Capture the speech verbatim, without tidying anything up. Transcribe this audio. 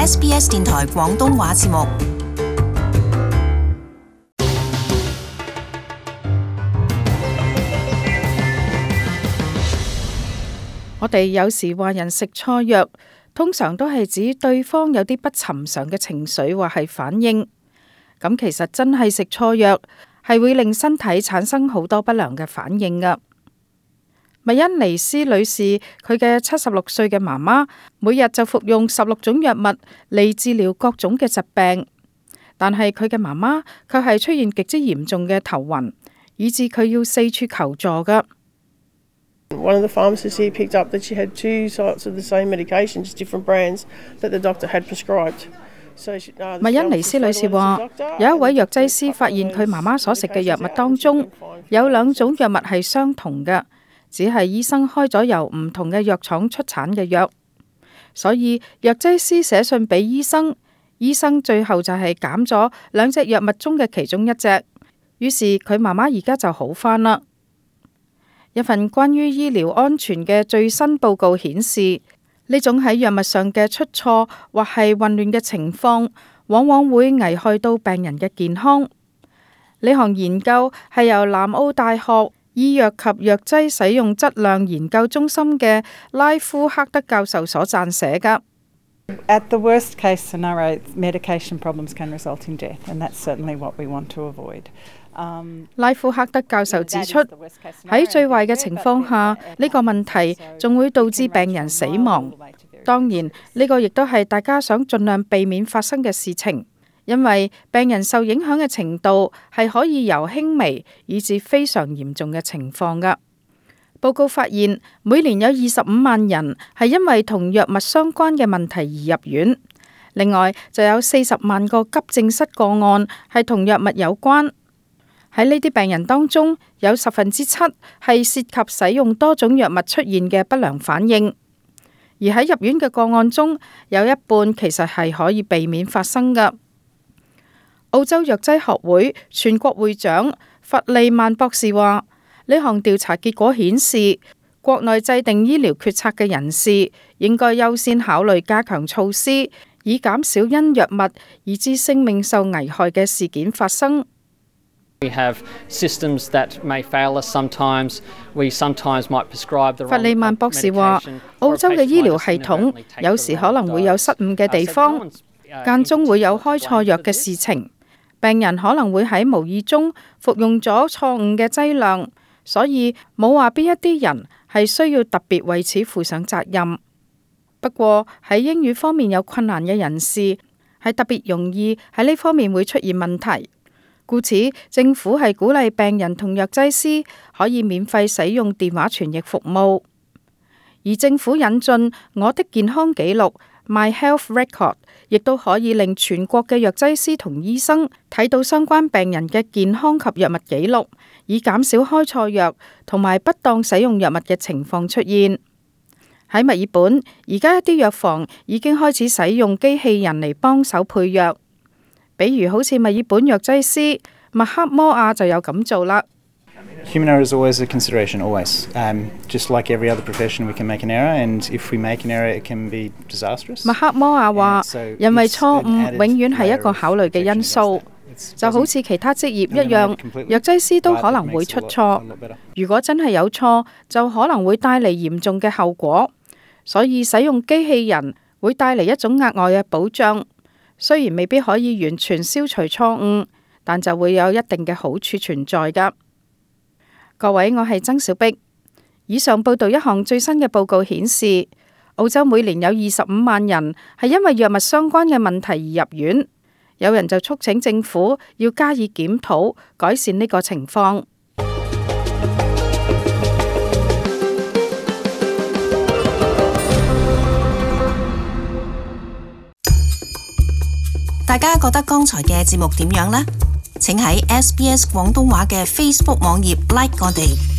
S B S 電台廣東話節目。我哋有時話人食錯藥，通常都係指對方有啲不尋常嘅情緒或係反應。咁其實真係食錯藥係會令身體產生好多不良嘅反應㗎。麥恩尼斯女士佢嘅七十六歲嘅媽媽，每日就服用十六種藥物嚟治療各種嘅疾病，但係佢嘅媽媽卻係出現極之嚴重嘅頭暈，以致佢要四處求助㗎。One of the pharmacists here picked up that she had two sorts of the same medications, different brands that the doctor had prescribed. 麥恩尼斯女士話，有一位藥劑師發現佢媽媽所食嘅藥物當中有兩種藥物係相同嘅，只係醫生開咗由唔同嘅藥廠出產嘅藥，所以藥劑師寫信俾醫生，醫生最後就係減咗兩隻藥物中嘅其中一隻，於是佢媽媽而家就好返啦。一份關於醫療安全嘅最新報告顯示，呢種喺藥物上嘅出錯或係混亂嘅情況，往往會危害到病人嘅健康。呢項研究係由南澳大學醫藥及藥劑使用質量研究中心嘅拉夫克德教授所撰寫㗎。At the worst case scenario, medication problems can result in death, and that's certainly what we want to avoid. 拉夫克德教授指出，喺最壞嘅情況下，呢個問題仲會導致病人死亡。當然，呢個亦都係大家想盡量避免發生嘅事情，因為病人受影響嘅程度係可以由輕微以至非常嚴重嘅情況㗎。報告發現，每年有二十五萬人係因為同藥物相關嘅問題而入院，另外就有四十萬個急症室個案係同藥物有關。喺呢啲病人當中，有十分之七係涉及使用多種藥物出現嘅不良反應，而喺入院嘅個案中，有一半其實係可以避免發生㗎。澳洲藥劑學會全國會長弗利曼博士話，呢項調查結果顯示，國內制定醫療決策嘅人士應該優先考慮加強措施，以減少因藥物以致性命受危害嘅事件發生。We have systems that may fail us sometimes. We sometimes might prescribe the wrong medication. 弗利曼博士話，澳洲嘅醫療系統有時可能會有失誤嘅地方，間中會有開錯藥嘅事情，病人可能會喺無意中服用咗錯誤嘅劑量，所以冇話邊一啲人係需要特別為此負上責任。不過喺英語方面有困難嘅人士係特別容易喺呢方面會出現問題。故此，政府係鼓勵病人同藥劑師可以免費使用電話傳譯服務，而政府引進我的健康記錄 My Health Record， 亦都可以令全國嘅藥劑師同醫生睇到相關病人嘅健康及藥物記錄，以減少開錯藥同埋不當使用藥物嘅情況出現。喺墨爾本，而家一啲藥房已經開始使用機器人嚟幫手配藥。比如好似墨爾本藥劑師麥克摩亞就有咁做啦。Human error is always a consideration, always. Um, just like every other profession, we can make an error, and if we make an error, it can be disastrous. 麥克摩亞話，人為錯誤永遠係一個考慮嘅因素，就好似其他職業一樣，藥劑師都可能會出錯。如果真係有錯，就可能會帶嚟嚴重嘅後果。所以使用機器人會帶嚟一種額外嘅保障。雖然未必可以完全消除錯誤，但就會有一定嘅好處存在㗎。各位，我係曾小碧。以上報道一項最新嘅報告顯示，澳洲每年有二十五萬人係因為藥物相關嘅問題而入院。有人就促請政府要加以檢討，改善呢個情況。大家覺得剛才嘅節目點樣呢？請喺 S B S 廣東話嘅 Facebook 網頁 like 我哋。